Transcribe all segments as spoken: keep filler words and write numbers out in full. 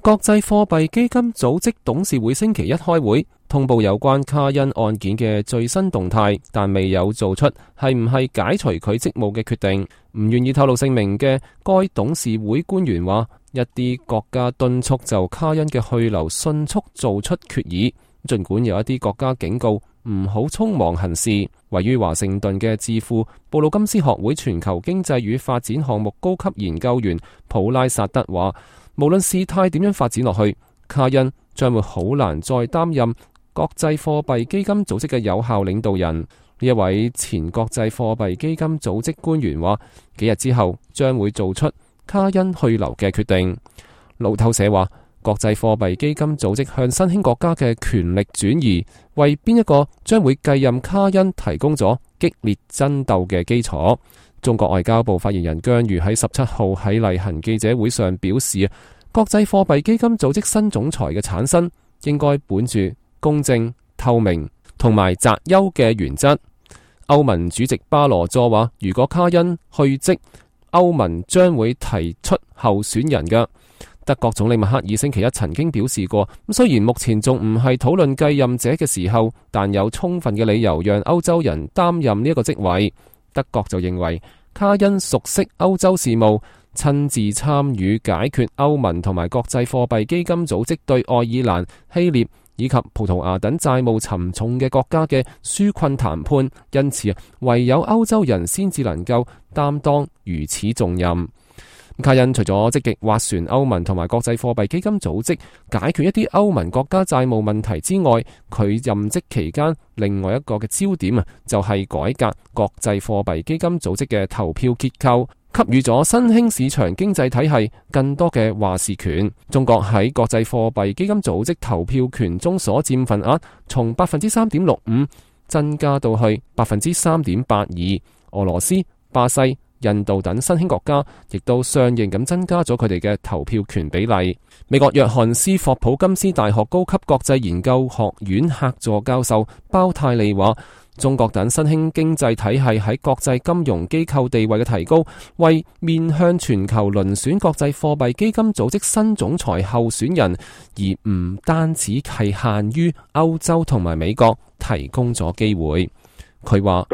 國際貨幣基金組織董事會星期一開會，通報有關卡恩案件嘅最新動態，但未有做出係唔係解除佢職務嘅決定。唔願意透露姓名嘅該董事會官員話，一啲國家敦促就卡恩嘅去留迅速做出決議，儘管有一啲國家警告唔好匆忙行事。位於華盛頓嘅智庫布魯金斯學會全球經濟與發展項目高級研究員普拉薩德話，無論事態點樣發展落去，卡恩將會好難再擔任國際貨幣基金組織嘅有效領導人。呢一位前國際貨幣基金組織官員話，幾日之後將會做出卡恩去留嘅決定。路透社話，國際貨幣基金組織向新興國家嘅權力轉移，為邊一個將會繼任卡恩提供咗激烈爭鬥嘅基礎。中國外交部發言人姜瑜喺十七號喺例行記者會上表示，國際貨幣基金組織新總裁嘅產生應該本住公正、透明同埋擇優嘅原則。歐盟主席巴羅佐話，如果卡恩去職，歐盟將會提出候選人嘅。德國總理默克爾星期一曾經表示過，雖然目前仲唔係討論繼任者嘅時候，但有充分嘅理由讓歐洲人擔任呢一個職位。德國就認為卡恩熟悉歐洲事務，親自參與解決歐盟同埋國際貨幣基金組織對愛爾蘭、希臘以及葡萄牙等債務沉重嘅國家嘅紓困談判，因此唯有歐洲人先至能夠擔當如此重任。卡恩除咗積極斡旋歐盟同埋國際貨幣基金組織解決一啲歐盟國家債務問題之外，佢任職期間另外一個嘅焦點啊，就係改革國際貨幣基金組織嘅投票結構，給予咗新興市場經濟體系更多嘅話事權。中國喺國際貨幣基金組織投票權中所佔份額從百分之三點六五增加到去百分之三點八二。俄羅斯、巴西、印度等新興國家亦都相應咁增加咗佢哋嘅投票權比例。美國約翰斯霍普金斯大學高級國際研究學院客座教授包泰利話，中國等新興經濟體系喺國際金融機構地位嘅提高，為面向全球遴選國際貨幣基金組織新總裁候選人，而唔單止係限於歐洲同埋美國提供咗機會。佢話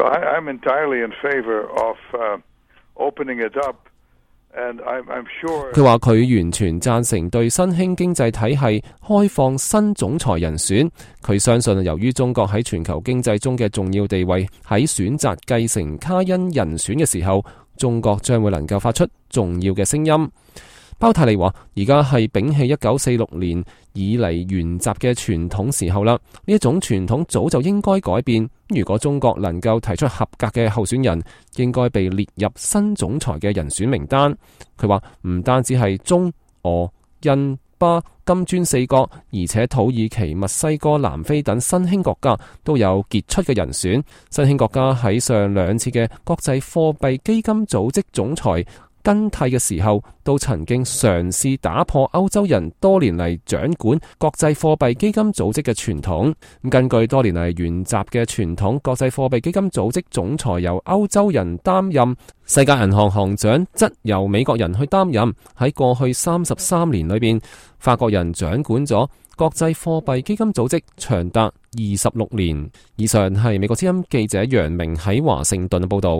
佢話佢完全贊成對新興經濟體系開放新總裁人選。佢相信由於中國喺全球經濟中嘅重要地位，喺選擇繼承卡恩人選嘅時候，中國將會能夠發出重要嘅聲音。包泰利話，而家係摒棄一九四六年以嚟沿襲嘅傳統時候啦，呢一種傳統早就應該改變。如果中國能夠提出合格嘅候選人，應該被列入新總裁嘅人選名單。佢話唔單止係中、俄、印、巴、金磚四國，而且土耳其、墨西哥、南非等新興國家都有傑出嘅人選。新興國家喺上兩次嘅國際貨幣基金組織總裁更替嘅時候，都曾經嘗試打破歐洲人多年嚟掌管國際貨幣基金組織嘅傳統。根據多年嚟沿襲嘅傳統，國際貨幣基金組織總裁由歐洲人擔任，世界銀行行長則由美國人去擔任。喺過去三十三年裏邊，法國人掌管咗國際貨幣基金組織長達二十六年。以上係美國之音記者楊明喺華盛頓嘅報道。